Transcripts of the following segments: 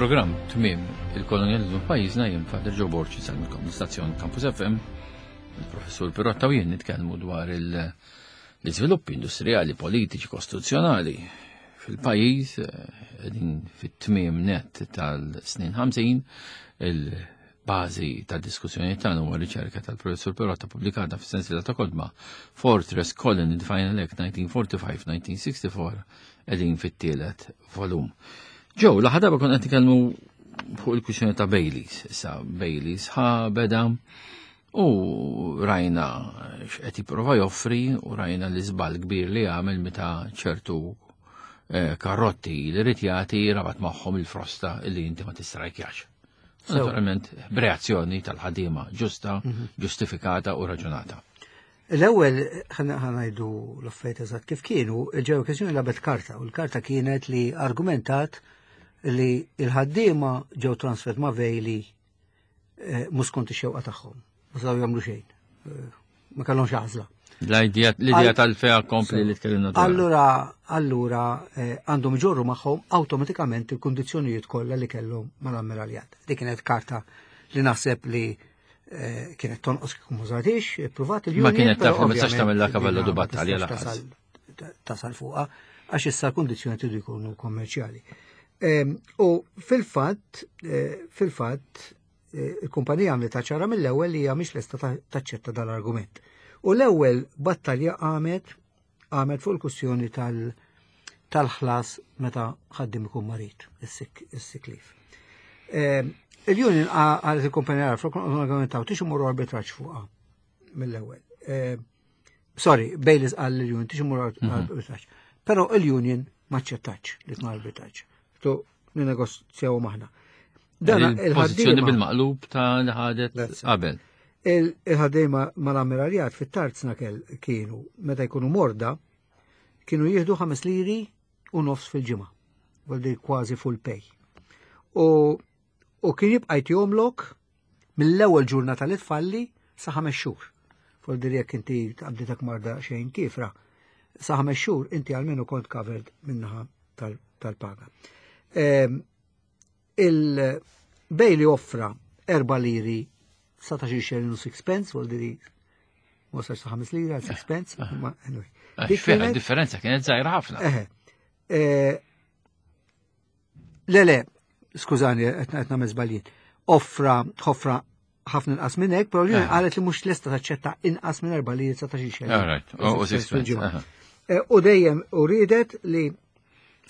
Il-programm Tmiem il-Kolonjalizmu f'pajjiżna jien Father Joe Borg insellmilkom l-istazzjon Campus FM. Il-Professur Pirotta u jien nitkellmu dwar l-iżviluppi industrijali, politiċi, kostituzzjonali fil-pajjiż qegħdin fit-tmiem net tal-snin 50 il-bażi tad-diskussjoni tagħna huwa riċerka tal-Professur Pirotta pubblikata fis-sensiela ta' kotba Fortress Colony the Final Act 1945-1964 qegħdin fit-tielet volum. Ġew, l-aħħar darba konna qed nitkellmu fuq il-kwistjoni ta' Baileys. Issa Baileys ħa beda u rajna x'qed jipprova joffri u rajna l-iżball kbir li għamel meta ċertu eh, karrotti li rid jagħti rabat magħhom il-frosta li inti ma tistrajkjax. Naturalment, b'reazzjoni tal-ħaddiema ġusta, mhm. ġustifikata u raġunata. L-ewwel ħa ngħidu l-affarijiet eżatt kif kienu, il-ġew okkażjoni lagħbet karta u l-karta kienet li argumentat li l-ħaddiema ġew transfert ma' Vejli eh, mhux skont ix-xewqa tagħhom. Ma setgħu jagħmlu xejn. Eh, ma kellhomx għażla. L-idea tal-fea kompli li tkellimna dwar. Allura, allura eh, għandhom iġorru magħhom awtomatikament il-kundizzjonijiet kollha li kellhom mal-ammiraljat. Dik kienet karta li naħseb li Eh, kienet tonqos kieku mużatix, provat il Ma kienet taf li ma tistax tagħmel kavallu du battalja lanqas. Tasal fuqha għax issa l-kundizzjoni tridu jkunu kommerċjali. Ehm, u fil-fatt, eh, fil-fatt, eh, il-kumpanija għamlet ċara mill-ewwel li hija mhix lesta taċċetta dal-argument. U l-ewwel battalja għamet għamet fuq il-kwistjoni tal- tal-ħlas meta ħaddim ikun marid, is-siklif. Ehm, il-union għalet il-kumpanija għal flok argumentaw tix imorru arbitraġġ fuqha mill-ewwel. Ehm, sorry, Baileys għal l-union tix imorru mhm. arbitraġġ. Però il-union ma ċċettax li tkun arbitraġġ. Tu ninegozjaw maħna. Dan il-pożizzjoni bil-maqlub ta' li ħadet qabel. Il-ħaddiema mal-ammiraljat fit-tarzna kienu meta jkunu morda kienu jieħdu 5 liri u nofs fil-ġimgħa, voldi kważi full pay. U, u kien jibqa' jtihomlok mill-ewwel ġurnata li tfalli sa ħames xhur. Voldi jekk inti tqabditek marda xejn kifra, sa ħames xhur inti għalmenu kont covered minnaħa tal-paga. Ehm, Il-Bailey offra 4 liri 19 xelin u 6 pence, vol diri ma sa 5 lira, 6 pence, ah. ma anyway. Eh, differenza kienet zaħira ħafna. Eh, le, le, skużani, qed nagħmel żbaljiet. Offra, offra ħafna inqas minn hekk, però l-Union eh. qalet li mhux lesta taċċetta inqas minn 4 liri 19 xelin. U dejjem u riedet li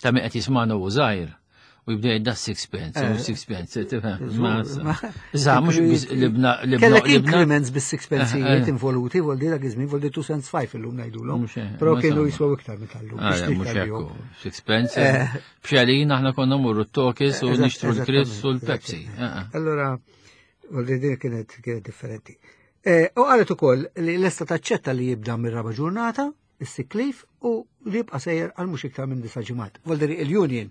Ta' min qed jismagħna u żgħir u jibda jgħid da sixpence, u eh. sixpence, tifhem. Iżda mhux libna libna. Kellek increments bis sixpence eh, eh. involuti, vol dak iż-żmien, vol 2 cents 5 illum ngħidulhom. Però kienu jiswew iktar minn tal-lum. Ah, mhux hekk. Sixpence. Bxalin aħna konna mmorru t-tokis u nixtru l-Chris u l-Pepsi. Allora, vol din kienet differenti. U qalet ukoll li lesta taċċetta li jibda mir-raba' ġurnata, is-sick leave u li jibqa' sejjer għal mhux iktar minn disa' ġimgħat. Volderi il-union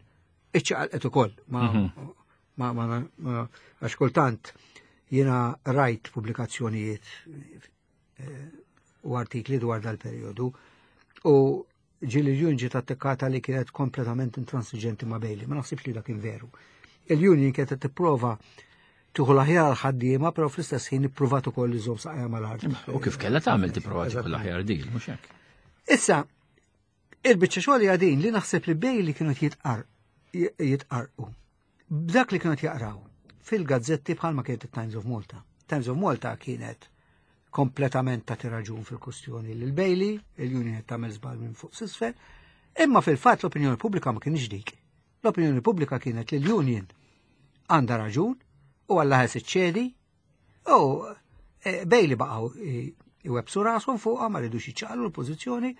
iċċaqalqet ukoll ma mhm. ma ma għax kultant jiena rajt pubblikazzjonijiet eh, u artikli dwar dal-perjodu u ġili l-union ġiet attakata li kienet kompletament intransiġenti ma' Bailey, ma naħsibx li dak kien veru. Il-union kienet tipprova tieħu l-aħjar għal ħaddiema, però fl-istess ħin ippruvat ukoll iżomm saqajja mal-art. U kif kellha tagħmel tipprova tieħu l-aħjar dil, mhux hekk. Issa, il-biċċa xogħol hija din li naħseb li bej li kienu jitqar jitqarqu. B'dak li kienu jaqraw fil-gazzetti bħalma kienet it-Times of Malta. Times of Malta kienet kompletament ta' raġun fil-kustjoni lil Bailey, il-Union qed tagħmel żball minn fuq s'isfel, imma fil-fatt l-opinjoni pubblika ma kienx dik. L-opinjoni pubblika kienet li l-Union għandha raġun u għalla ħes iċċedi u e, Bailey baqgħu iwebsu rashom fuqha ma ridux jiċċaqlu l-pożizzjoni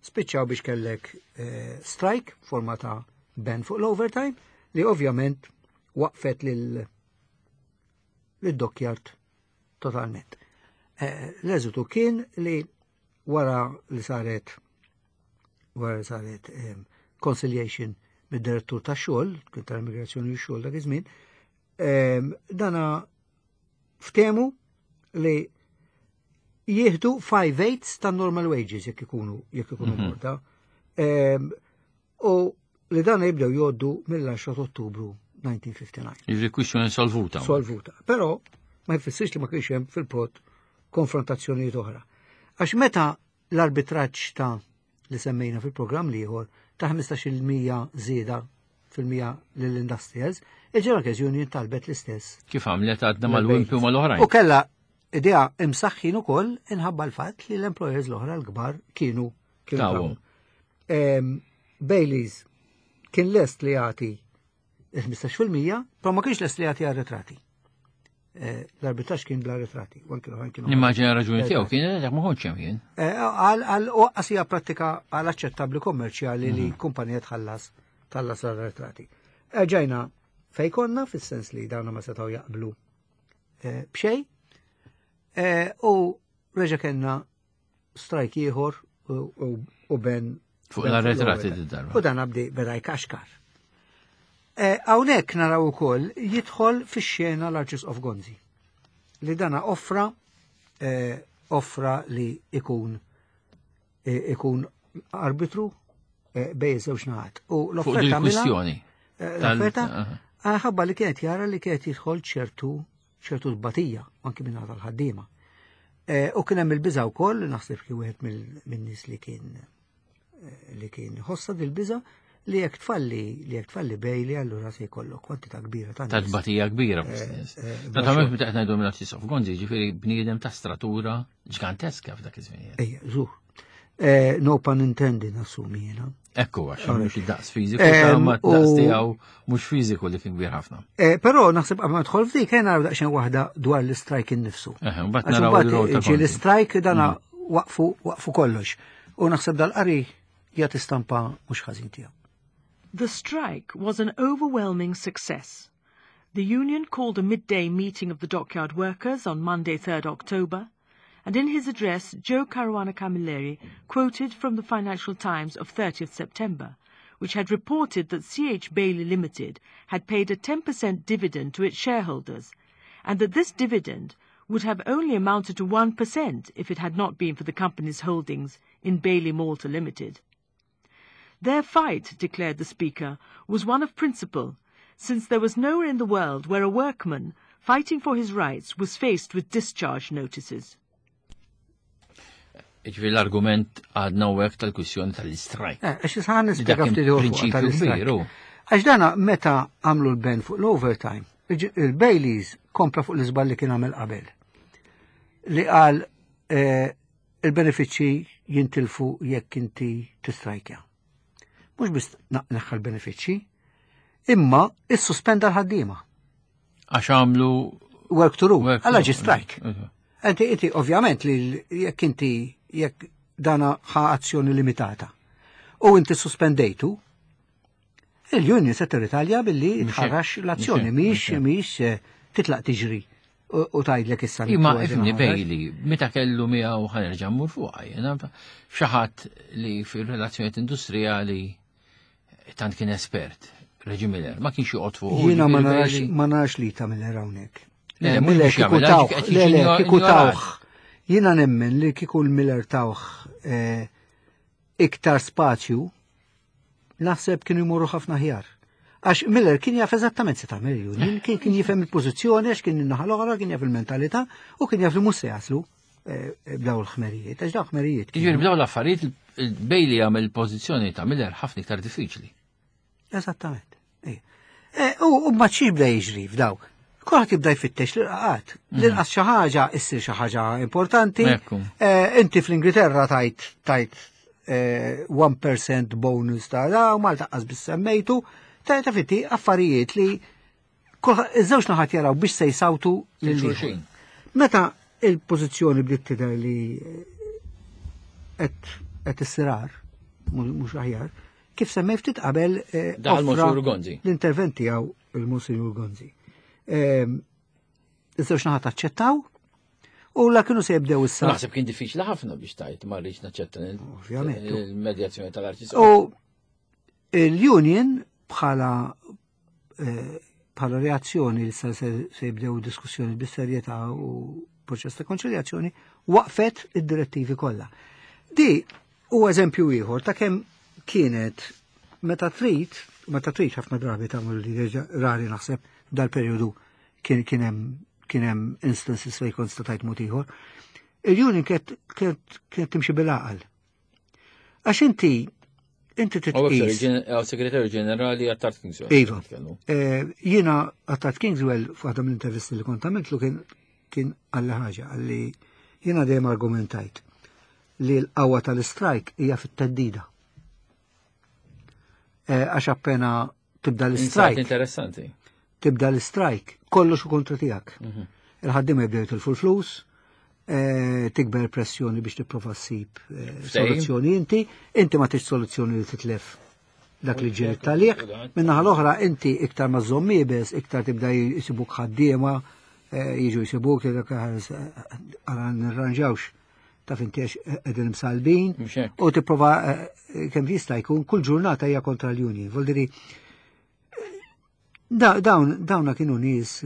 spiċċaw biex kellek e, strike forma ta' ban fuq l-overtime li ovvjament waqfet lil lid-dockyard totalment. E, l-eżitu kien li wara li saret wara li saret conciliation mid-direttur ta' xogħol, kien tal-immigrazzjoni u xogħol dak iż-żmien, dana ftemu li jieħdu 5 eighths ta' normal wages jekk ikunu jekk ikunu mhm. morda. U li dan jibdew jgħoddu mill-10 Ottubru 1959. Jiġri kwistjoni solvuta. Solvuta. Però ma jfissirx li ma kienx hemm fil-pot konfrontazzjonijiet oħra. Għax meta l-arbitraġġ ta' li semmejna fil-programm l-ieħor ta' 15% żieda fil-mija lill-industrials, il-General Workers Union talbet l-istess. Kif għamlet għadna mal-Wimpy u mal-oħrajn. U kella idea imsaħħin ukoll inħabba l-fatt li l-employers l-oħra l-kbar kienu kienu. Baileys kien lest li jagħti il-15%, però ma kienx lest li jagħti arretrati. Eh, l-arbitraġġ kien bla arretrati. Nimmaġina raġuni tiegħu kien dak ma kontx hemm jien. Eh, għal oqqas hija prattika għal aċċettabbli kommerċjali li mhm. kumpanija tħallas tħallas l-arretrati. Eh, ġajna fej konna fis-sens li dawna ma setgħu jaqblu b'xejn u reġa' kellna strajk ieħor u ben Fuq l-arretrati d-darba. U dan abdi beda jkaxkar. E, hawnhekk naraw ukoll jidħol fix-xena l-Arċisqof Gonzi li dana offra e, offra li ikun e, ikun arbitru bej żewġ naħat. U l-offerta kwistjoni. L-offerta ħabba li kienet jara li kienet jidħol ċertu ċertu tbatija anki minn tal-ħaddiema. Eh, u kien hemm il-biża wkoll, naħseb kien wieħed min-nies li kien eh, li kien ħossa dil-biża li jekk tfalli li jekk tfalli bejli allura se jkollok kwantità kbira ta' Ta' tbatija kbira eh, Naturalment meta qed ngħidu minn Arċisqof Gonzi, ġifieri bniedem ta' stratura ġganteska f'dak iż-żmien. Ejja, żur. Eh, no pun intended, nassumi jena. Ekku, għax mhux id-daqs fiżiku, ma daqs tiegħu mhux fiżiku li kien kbir ħafna. Eh, però naħseb qabel ma dħol f'dik ejja naraw daqsxejn waħda dwar l-istrajk innifsu. Eh, mbagħad naraw ġi l-istrajk dana mm. waqfu waqfu kollox. U naħseb dal-qari jagħti stampa mhux ħażin tiegħu. The strike was an overwhelming success. The union called a midday meeting of the dockyard workers on Monday 3rd October and in his address, Joe Caruana Camilleri quoted from the Financial Times of 30th September, which had reported that CH Bailey Limited had paid a 10% dividend to its shareholders, and that this dividend would have only amounted to 1% if it had not been for the company's holdings in Bailey Malta Limited. Their fight, declared the speaker, was one of principle, since there was nowhere in the world where a workman fighting for his rights was faced with discharge notices. Ġifieri l-argument għadna u hekk tal-kwistjoni tal-istrajk. Eh, għax issa nispjega ftit tal-istrajk. Għax dana meta għamlu l-ben fuq l-overtime, il-Baileys kompla fuq l-iżball li kien għamel qabel. Li qal eh, il-benefiċċji jintilfu jekk inti tistrajkja. Mhux biss neħħa l-benefiċċji, imma issuspenda l-ħaddiema. Għax għamlu work to rule, għalla ġi strike. Inti, inti, ovvjament li jekk inti jekk dana ħa azzjoni limitata u inti suspendejtu, il-union se tirritalja billi tħarrax l-azzjoni, miex miex eh, titlaq tiġri u tajdlek issa. Imma ifni Bailey, meta kellu miegħu ħanerġa' mmur fuqha, jiena xi ħadd li fir-relazzjonijiet industrijali tant kien espert, Reġi Miller, ma kienx joqgħod fuq. Jiena ma narax ma narax li ta' Miller hawnhekk. Le, Miller kieku tawh, le, le, kieku tawh. Jiena nemmen li kieku l-Miller tawh eh, iktar spazju, naħseb kienu jmorru ħafna ħjar. Għax Miller kien jaf eżattament se tagħmel il-union, kien kien jifhem il-pożizzjoni għax kien in-naħa l-oħra, kien jaf il-mentalità u kien jaf li mhux se jaslu eh, b'daw l-ħmerijiet, għax daw ħmerijiet. Jiġifieri b'daw l-affarijiet il-Bailey għamel il-pożizzjoni ta' Miller ħafna iktar diffiċli. Eżattament. Eh, u ma xi jibda jiġri f'daw. Kulħadd jibda jfittex l-irqaqat. Mhm. L-inqas xi ħaġa issir xi ħaġa importanti. Eh, inti fl-Ingilterra tajt tajt 1% eh, bonus ta' da u Malta qas biss semmejtu. Ta' fitti affarijiet li iż-żewġ naħat jaraw biex se jsawtu lil xulxin. Meta il-pożizzjoni bdiet tidher li qed issirar mhux aħjar, Kif semmej ftit qabel eh, daħal Monsignor Gonzi. L-intervent tiegħu il-Monsignor Gonzi. Ehm, iż-żewġ naħat aċċettaw u la kienu se jibdew issa. Naħseb kien diffiċli ħafna biex tajt ma rridx naċċetta il-medjazzjoni tal-arċisqof. U l-union bħala eh, bħala reazzjoni li se jibdew diskussjoni bis-serjetà u proċess ta' konċiljazzjoni waqfet id-direttivi kollha. Di u eżempju ieħor ta' kemm kienet Meta trid, meta trid ħafna drabi tagħmel li rari naħseb dal-perjodu kien hemm instances fejn kont statajt mod ieħor. Il-union kienet timxi bil-għaqal. Għax inti inti titqis. Segretarju ġenerali Attard Kingswell. Iva. Jiena Attard Kingswell f'waħda mill-intervisti li kont għamiltlu kien għalli ħaġa, għalli jiena dejjem argumentajt li l-qawwa tal-istrajk hija fit-teddida. Għax appena tibda l-istrajk. Interessanti. Tibda l-istrajk, kollox u kontra tiegħek. Il-ħaddiema jibdew jitilfu l-flus, tikber pressjoni biex tipprova ssib soluzzjoni inti, inti ma tix soluzzjoni li titlef dak li ġiet talih. Min-naħa l-oħra inti iktar ma żomm iebes, iktar tibda jisibuk ħaddiema, jiġu jisibuk, jgħidlek għara nirranġawx taf inti għax qegħdin imsalbin u tipprova kemm jista' jkun kull ġurnata hija kontra l-union. Vuol dire dawna kienu nies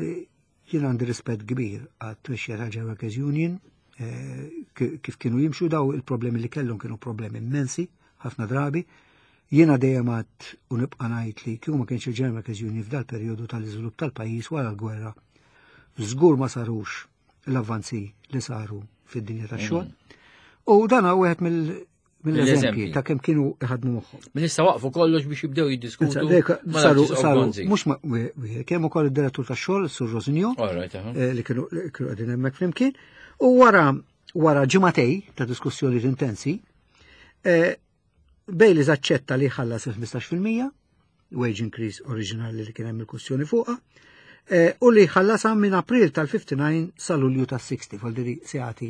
jien għandi rispett kbir għat-tmexxija tal-General Workers Union, kif kienu jimxu daw il-problemi li kellhom kienu problemi immensi ħafna drabi. Jiena dejjem għad u nibqa' ngħid li kieku ma kienx il-General Workers Union f'dal perjodu tal-iżvilupp tal-pajjiż wara l-gwerra, żgur ma sarux l-avvanzi li saru fid-dinja tax-xogħol. U dan huwa wieħed mill-eżempji ta' kemm kienu iħadmu moħħhom. Minn issa waqfu kollox biex jibdew jiddiskutu. Saru, saru, mhux ma wieħed, kemm ukoll id-direttur tax-xogħol, Sur Rosinio, li kienu qegħdin hemmhekk flimkien, u wara ġimagħtej ta' diskussjoni intensi, Baileys aċċetta li ħallas il-15% wage increase oriġinali li kien hemm il-kwestjoni fuqha, u li ħallasha minn April tal-59 sa Lulju tas-60, vuol dire se jagħti.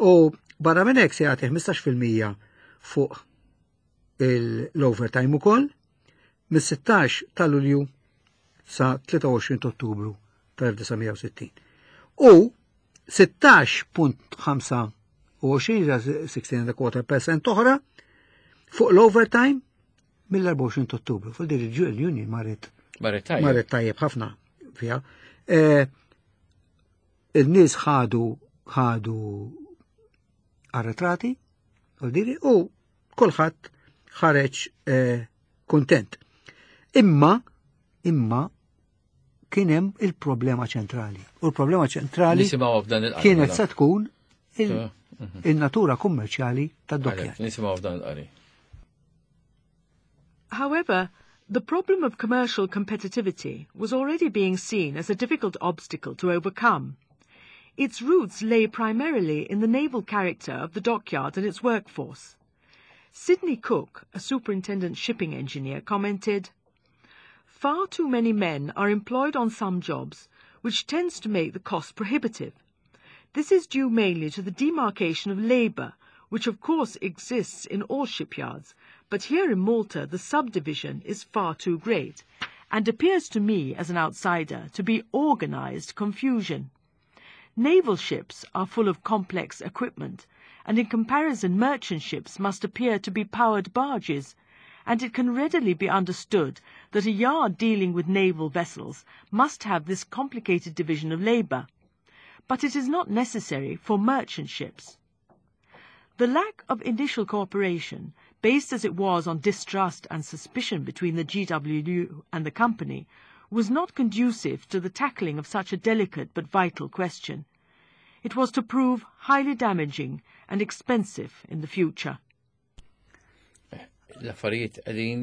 U barra minn hekk se jagħti 15% fuq l-overtime ukoll mis-16 ta' Lulju sa 23 ta' Ottubru tal-1960. U 16.25, 16.25% oħra fuq l-overtime mill-24 ta' Ottubru. Fuq din il-union marret marret tajjeb ħafna fiha. Il-nies ħadu arretrati, u kulħadd ħareġ kontent. Imma kien hemm il-problema ċentrali. U l-problema ċentrali kienet se tkun il-natura kummerċjali tad-dockyard. Nisimgħu f'dan il-qari. However, the problem of commercial competitivity was already being seen as a difficult obstacle to overcome. Its roots lay primarily in the naval character of the dockyard and its workforce. Sidney Cook, a superintendent shipping engineer, commented, "Far too many men are employed on some jobs, which tends to make the cost prohibitive. This is due mainly to the demarcation of labour, which of course exists in all shipyards, but here in Malta the subdivision is far too great, and appears to me as an outsider to be organised confusion. Naval ships are full of complex equipment, and in comparison merchant ships must appear to be powered barges, and it can readily be understood that a yard dealing with naval vessels must have this complicated division of labour. But it is not necessary for merchant ships. The lack of initial cooperation, based as it was on distrust and suspicion between the GWU and the company, was not conducive to the tackling of such a delicate but vital question. It was to prove highly damaging and expensive in the future. L-affarijiet qegħdin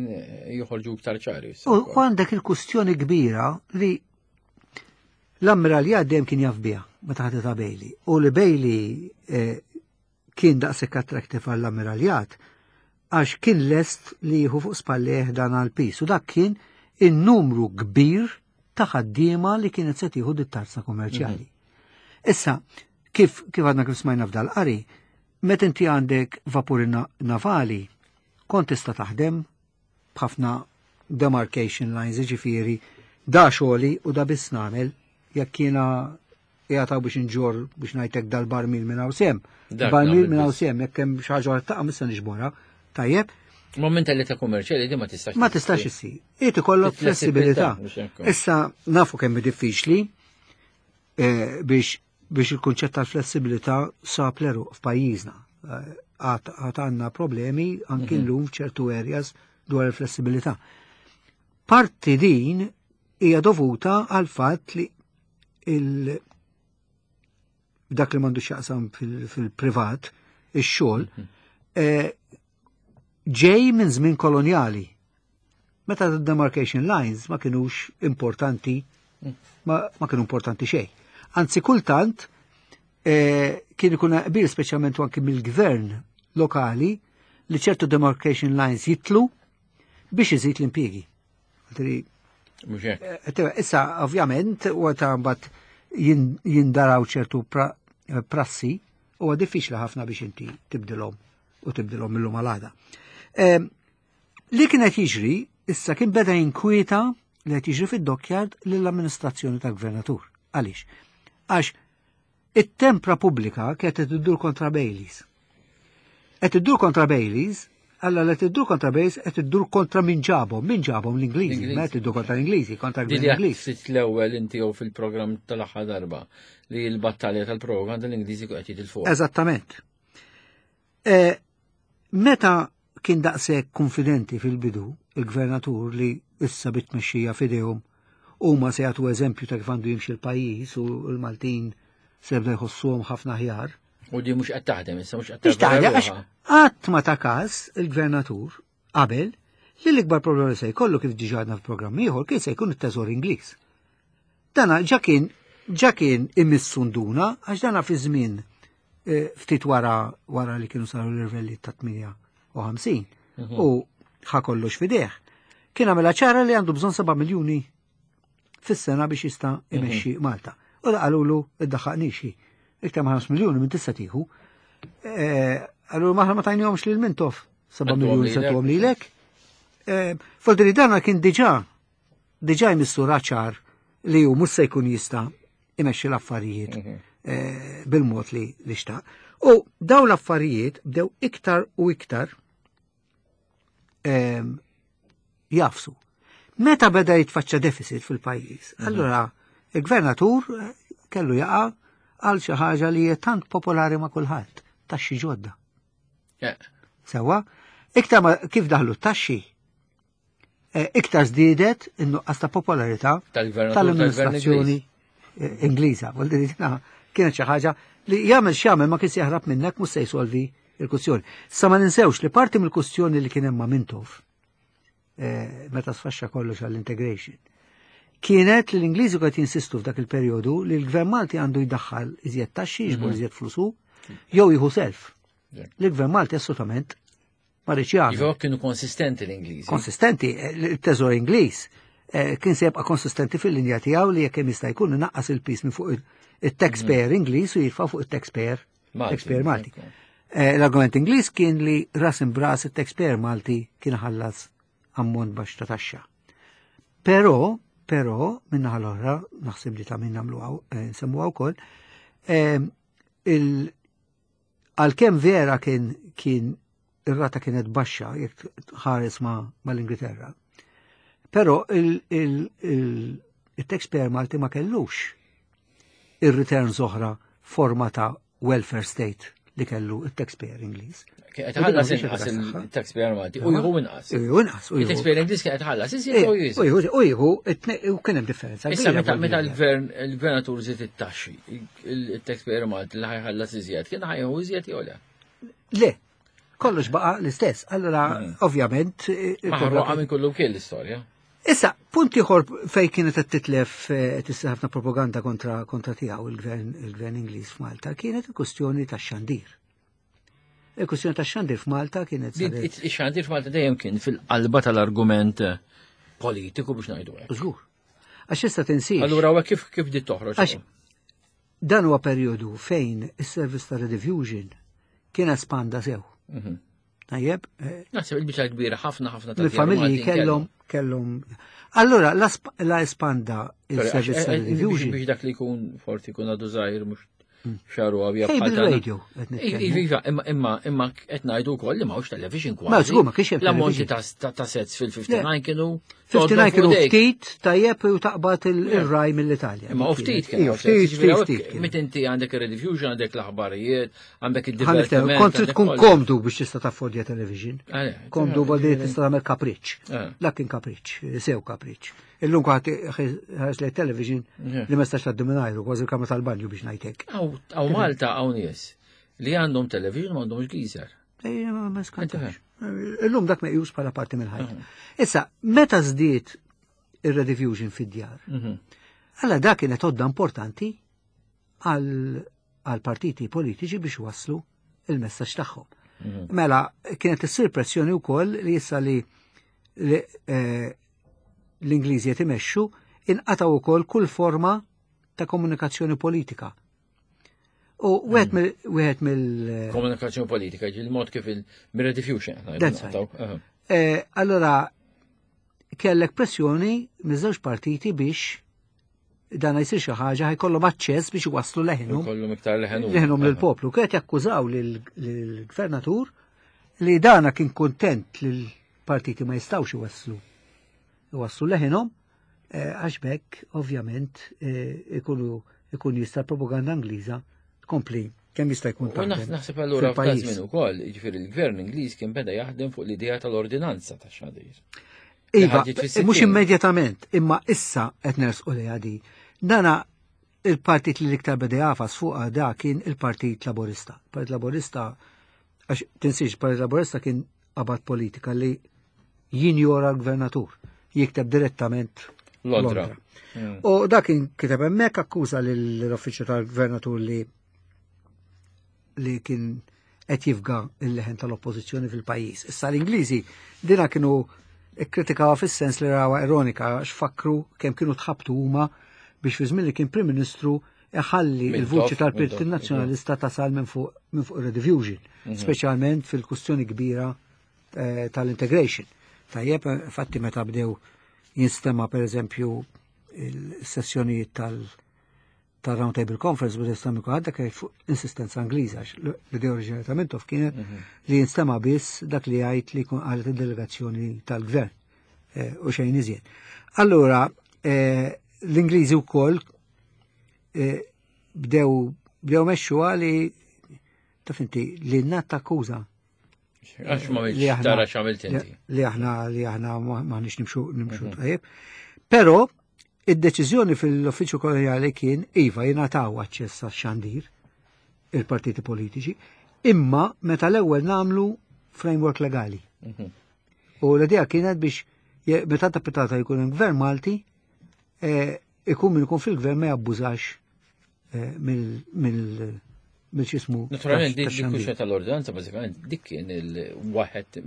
joħorġu iktar ċari. U għandek il-kustjoni kbira li l-ammiraljat dejjem kien jaf biha meta ħadet Bailey. U li Bailey kien daqshekk attractive għall-ammiraljat għax kien lest li jieħu fuq spalleh dan għal-pis. U dak kien in-numru kbir ta' ħaddiema li kienet se tieħu dit-tarza kummerċjali. Issa, kif għadna kif smajna f'dal qari, meta inti għandek vapuri navali, kont tista' taħdem b'ħafna demarcation lines, jiġifieri da xogħli u da biss nagħmel jekk jiena jgħataw biex nġor biex ngħidlek dal-barmil minn hawn sem. Barmil minn hawn sem, jekk hemm xi ħaġa taqa' missa niġborha. Tajjeb. Ma mentalità kummerċjali di ma tistax. Ma tistax issir. Irid ikollok flessibilità. Issa nafu kemm diffiċli biex il-kunċett tal-flessibilità sab l-eruq f'pajjiżna. Għad għandna problemi anki llum f'ċertu areas dwar il-flessibilità. Parti din hija dovuta għal fatt li il dak li m'għandu x'jaqsam fil-privat, ix-xogħol, ġej minn żmien kolonjali. Meta demarcation lines ma kienux importanti, ma kienu importanti xejn. Anzi, kultant kien ikun qbil speċjalment anki mill-gvern lokali li ċertu demarcation lines jitlu biex iżid l-impjiegi. Issa, ovvjament, u ta' mbagħad jindaraw ċertu prassi, huwa diffiċli ħafna biex inti tibdilhom u tibdilhom mill-lum għal Li kienet jiġri, issa kien beda jinkwieta li qed jiġri fid-dockyard lill-amministrazzjoni tal-gvernatur. Għaliex? Għax it-tempra pubblika kienet qed iddur kontra Baileys. Qed iddur kontra Baileys, alla li tiddur kontra Baileys qed iddur kontra min ġabhom, min ġabhom l-Ingliżi, ma qed iddur kontra l-Ingliżi, kontra l-Gvern Ingliż. Sitt l-ewwel inti jew fil-programm tal-aħħar darba li l-battalja tal-propaganda l-Ingliżi qed jitilfuq. Eżattament. Meta kien daqshekk konfidenti fil-bidu il-gvernatur li issa bit-tmexxija f'idejhom huma se jagħtu eżempju ta' kif għandu jimxi l-pajjiż u l-Maltin se jibda jħossuhom ħafna aħjar. U di mhux qed taħdem issa mhux qed taħdem. Għax qatt ma ta' każ il-gvernatur qabel li l-ikbar problema se jkollu kif diġà għadna f'programm ieħor kien se jkun it-teżor Ingliż. Dana ġa kien ġa kien imissu nduna għax dana fi żmien ftit wara wara li kienu saru l-irvelli ta' 58 u ħa kollox fideh. Kien għamela ċara li għandu bżonn 7 miljuni fis-sena biex jista' imexxi Malta. U da qalulu iddaħħaqnix. Iktar ma' 5 miljuni minn tista' tieħu. Qalulu maħna ma tajnihomx lil Mintoff 7 miljuni se tuhom lilek. Foldi li dana kien diġà jmissu raċar li hu mhux se jkun jista' imexxi l-affarijiet bil-mod li xtaq. U daw l-affarijiet bdew iktar u iktar jafsu. Meta beda jitfaċċa deficit fil-pajjiż, allura il-gvernatur kellu jaqa' għal xi ħaġa li hija tant popolari ma' kulħadd, taxxi ġodda. Sewa, iktar ma kif daħlu t-taxxi, iktar żdiedet in-nuqqas ta' popolarità tal-amministrazzjoni Ingliża. Vuol dire kienet xi ħaġa li jagħmel x'jagħmel ma kienx jaħrab minnek mhux se jsolvi il-kwistjoni. Sa ma ninsewx li parti mill-kwistjoni li kien hemm ma' Mintoff meta sfaxxa kollox għall-integration kienet li l-Ingliżi qed jinsistu f'dak il-perjodu li l-Gvern Malti għandu jdaħħal iżjed taxxi, jiġbor iżjed flusu, jew jieħu self. L-Gvern Malti assolutament ma riedx jagħmel. Iva kienu konsistenti l-Ingliżi. Konsistenti, il-Teżor Ingliż kien se jibqa' konsistenti fil-linja tiegħu li jekk hemm jista' jkun inaqqas il-piż minn fuq il-taxpayer Ingliż u jirfa' fuq il-taxpayer taxpayer Malti. L-argument Ingliż kien li ras imbras il-taxpayer Malti kien ħallas ammont baxx ta' taxxa. Però, minnaħa l-oħra, naħseb li ta' min nagħmlu nsemmuha wkoll, għalkemm vera kien ir-rata kienet baxxa jekk ħares mal-Ingilterra. Però il-taxpayer Malti ma kellux ir-returns oħra forma ta' welfare state li kellu il-taxpayer Ingliż. Qed ħallas inqas il-taxpayer Malti u jieħu inqas. U inqas. Il-taxpayer Ingliż kien qed ħallas iżjed u jieħu. U jieħu u kien hemm differenza. Issa meta l-gvern il-gvernatur żied it-taxxi, il-taxpayer Malti li ħajħallas iżjed, kien ħajħu iżjed jew le? Le, kollox baqa l-istess. Allora, ovvjament. Maħruqa minn kullu kien l-istorja. Issa, punt ieħor fej kienet qed titlef tissir ħafna propaganda kontra tiegħu il-gvern Ingliż f'Malta kienet il-kwestjoni tax-xandir. Il-kwestjoni tax-xandir f'Malta kienet saret. Ix-xandir f'Malta dejjem kien fil-qalba tal-argument politiku biex ngħidu hekk. Żgur. Għax issa tinsiex. Allura huwa kif di toħroġ? Għax dan huwa perjodu fejn is-servizz ta' Rediffusion kien espanda sew. Tajjeb. Naħseb il-biċċa kbira ħafna ħafna ta' familji kellhom kellhom. Allura la espanda il-servizz ta' Rediffusion. Biex dak li jkun forsi jkun għadu żgħir mhux xaru għabja bħal radio. Iva, imma qed ngħidu wkoll li m'hawnx television kważi. Ma żgur ma kienx hemm. L-ammonti ta' sets fil-59 kienu. 59 kienu ftit tajjeb u taqbad il-raj mill-Italja. Imma u ftit kienu. Ftit, ftit, ftit. Mit inti għandek il-rediffusion, għandek l-aħbarijiet, għandek il-divertiment. Kont trid tkun komdu biex tista' taffordja television. Komdu bħal tista' tagħmel kapriċ. Dak kien kapriċ, sew kapriċ. Illum kwaħt ħares lejn television li ma stax tgħaddi mingħajru, kważi l-kamra tal-banju biex ngħidlek. Hawn Malta hawn nies li għandhom television ma għandhomx geyser. Ma skantax. Illum dak meqjus bħala parti mill-ħajja. Issa, meta żdied ir-rediffusion fid-djar, alla dak kienet għodda importanti għal partiti politiċi biex waslu il-messaġġ tagħhom. Mela, kienet issir pressjoni wkoll li issa li l-Ingliżi qed imexxu inqataw ukoll kull forma ta' komunikazzjoni politika. U wieħed mill mill Komunikazzjoni politika, il-mod kif il-rediffusion. Allora, kellek pressjoni miż-żewġ partiti biex dan jsir xi ħaġa ħajkollhom aċċess biex iwasslu leħinhom. Ikollhom iktar leħinhom. Leħinhom lill-poplu. Kienet jakkużaw lill-gvernatur li dana kien kuntent li l-partiti ma jistgħux iwasslu iwasslu leħinhom għax bekk ovvjament ikunu ikun jista' propaganda Ingliża tkompli kemm jista' jkun U naħseb allura f'każ minn ukoll, jiġifieri l-gvern Ingliż kien beda jaħdem fuq l-idea tal-ordinanza ta' xandir. Iva, mhux immedjatament, imma issa qed nersqu li għadi. Dana il-partit li l-iktar beda jafas fuq da kien il-Partit Laburista. Partit Laburista, għax tinsiex, Partit Laburista kien qabad politika li jinjora l-gvernatur, jikteb direttament Londra. U dak kien kiteb hemmhekk akkuża l-uffiċċju tal-gvernatur li kien qed jifga il-leħen tal-oppożizzjoni fil-pajjiż. Issa l-Ingliżi dina kienu kkritikawha fis-sens li rawha ironika għax fakru kemm kienu tħabtu huma biex fi żmien li kien Prim Ministru iħalli il-vuċi tal-Partit Nazzjonalista tasal minn fuq minn fuq Rediffusion, speċjalment fil-kustjoni kbira tal-integration. Tajjeb, fatti meta bdew jinstema per eżempju il-sessjonijiet tal-Round Table Conference bada jinstema kulħadd dak fuq insistenza Ingliża, l-idea oriġinali ta' Mintoff kienet li jinstema biss dak li jgħid li jkun qalet id-delegazzjoni tal-gvern u xejn iżjed. Allura, l-Ingliżi wkoll bdew mexxuha li taf inti li n-nat takkuża. Għax ma tara x'għamilt inti. Li aħna m'aħniex nimxu tajjeb. Però id-deċiżjoni fil-uffiċċju koloniali kien iva jingħataw aċċess għax-xandir il-partiti politiċi, imma meta l-ewwel namlu framework legali. U l-idea kienet biex meta ta' pitata jkun hemm gvern Malti, ikun min ikun fil-gvern ma jabbużax mill x'jismu. Naturalment, dik kwistjoni tal-ordinanza, bażikament, dik kien il-waħed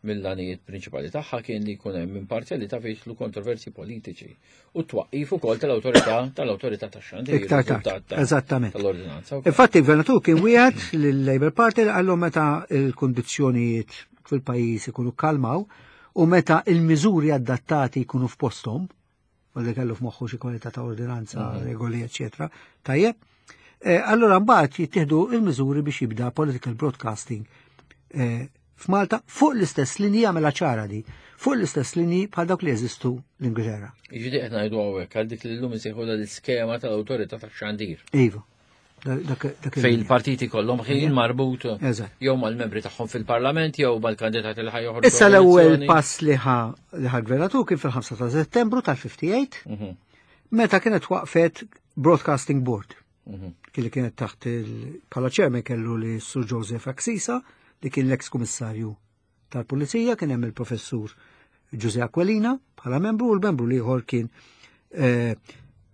mill-għanijiet prinċipali tagħha kien li jkun hemm imparzjalità fejn jidħlu kontroversi politiċi u twaqqif ukoll tal-awtorità tax-xandir. Iktar tard, eżattament. Tal-ordinanza. Infatti, il-gvernatur kien wieħed lill-Labour Party li qallhom meta il-kundizzjonijiet fil-pajjiż ikunu kalmaw u meta il-miżuri adattati jkunu f'posthom, u li kellu f'moħħu xi kwalità ta' ordinanza, regoli, eċetera. Tajjeb, allora mbagħad jittieħdu il-miżuri biex jibda political broadcasting f'Malta fuq l-istess linji għamela ċara di, fuq l-istess linji bħal dawk li jeżistu l-Ingilterra. Jiġifieri qed ngħidu hawnhekk għal dik li llum insejħu l-iskema tal-awtorità tax-xandir. Iva. Fej il-partiti kollhom ħin marbut jew mal-membri tagħhom fil-Parlament jew mal-kandidati li ħajoħorġu. Issa l-ewwel pass li ħa gvernatur kien fil-5 ta' Settembru tal-58 meta kienet waqfet Broadcasting Board. Kien li kienet taħt il-bħala chairman kellu li Sir Joseph Axisa li kien l-ex kummissarju tal-Pulizija, kien hemm il-professur Giuseppe Aquilina bħala membru u l-membru l-ieħor kien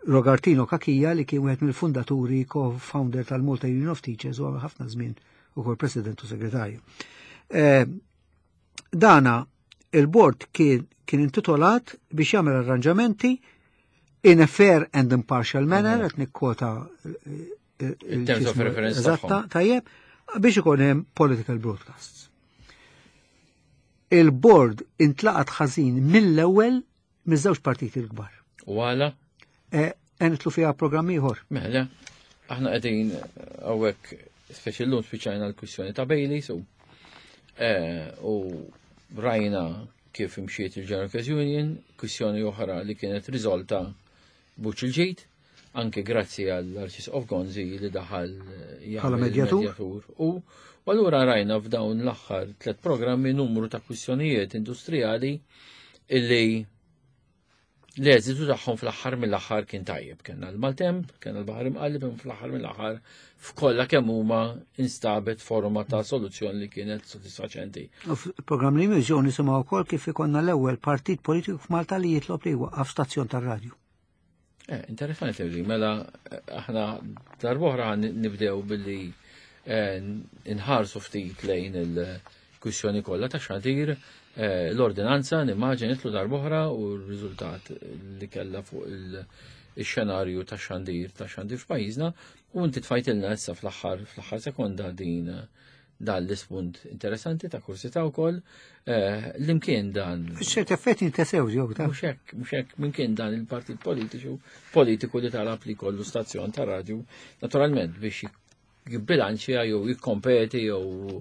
Rogartino Cachia li kien wieħed mill-fundaturi co-founder tal-Malta Union of Teachers u ħafna żmien ukoll president u segretarju. Dana il-board kien intitolat biex jagħmel arranġamenti in a fair and impartial manner, qed nikkwota Il-terms of reference Eżatta, tagħhom. tajjeb, biex ikun hemm political broadcasts. Il-board intlaqat ħażin mill-ewwel miż-żewġ partiti l-kbar. U għala? Nidħlu fiha programm ieħor. Mela, aħna qegħdin hawnhekk speċi llum spiċċajna l-kwistjoni ta' Bailey, so u rajna kif imxiet il-General Workers Union, kwistjoni oħra li kienet riżolta buċ il-ġid, anke grazzi għall-Arċisqof Gonzi li daħal jagħmel medjatur. U allura rajna f'dawn l-aħħar tlet programmi numru ta' kwistjonijiet industrijali illi l-eżitu tagħhom fl-aħħar mill-aħħar kien tajjeb. Kellna l-maltemp, kellna l-baħar imqalleb, imma fl-aħħar mill-aħħar f'kollha kemm huma instabet forma ta' soluzzjoni li kienet sodisfaċenti. U fil-programm li jmiss ġew nisimgħu wkoll kif ikollna l-ewwel partit politiku f'Malta li jitlob li jwaqqaf stazzjon tar-radju. Eh, interessanti li mela eh, aħna darb'oħra nibdew billi eh, nħarsu ftit lejn il-kwissjoni kollha ta' xandir l-ordinanza nimmaġin nitlu darb'oħra u r-riżultat li kellha fuq il-xenarju ta' xandir ta' xandir f'pajjiżna u inti tfajtilna issa fl-aħħar fl-aħħar sekonda din dan l-ispunt interessanti ta' kursità wkoll eh, l-imkien dan. F'ċerti effetti jintesew ġew ta' Mhux hekk, mhux hekk minn kien dan il-partit politiċu politiku li talab li kollu stazzjon ta' radju, naturalment biex jibbilanċja jew jikkompeti jew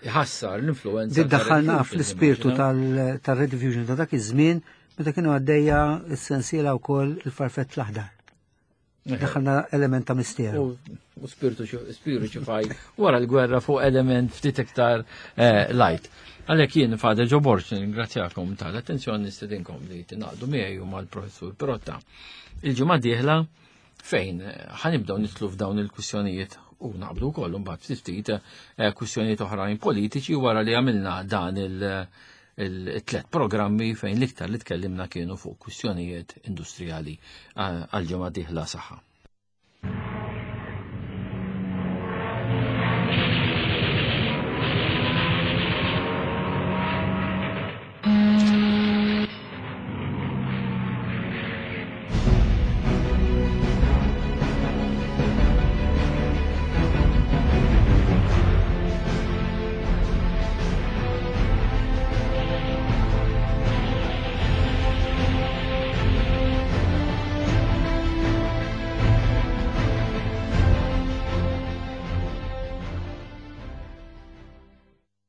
jħassar l-influenza. Daħħalna fl-ispirtu tal-Red Fusion ta' dak iż-żmien meta kienu għaddejja s-sensiela wkoll il-farfett l-aħdar. Daħalna element ta' misteru. U spiritu spiritu faj wara l-gwerra fuq element ftit iktar eh, light. Għalhekk jien Fader Ġo Borg ningrazzjakom tal-attenzjoni nistedinkom li tingħaqdu miegħi u mal-Professur Pirotta. Il-ġimgħa dieħla fejn eh, ħanibdew nitlu f'dawn il-kwistjonijiet u naqbdu wkoll imbagħad ftit ftit eh, kwistjonijiet oħrajn politiċi wara li għamilna dan il- il-tlet programmi fejn l-iktar li tkellimna kienu fuq kwistjonijiet industrijali għal ġimgħa dieħla saħħa.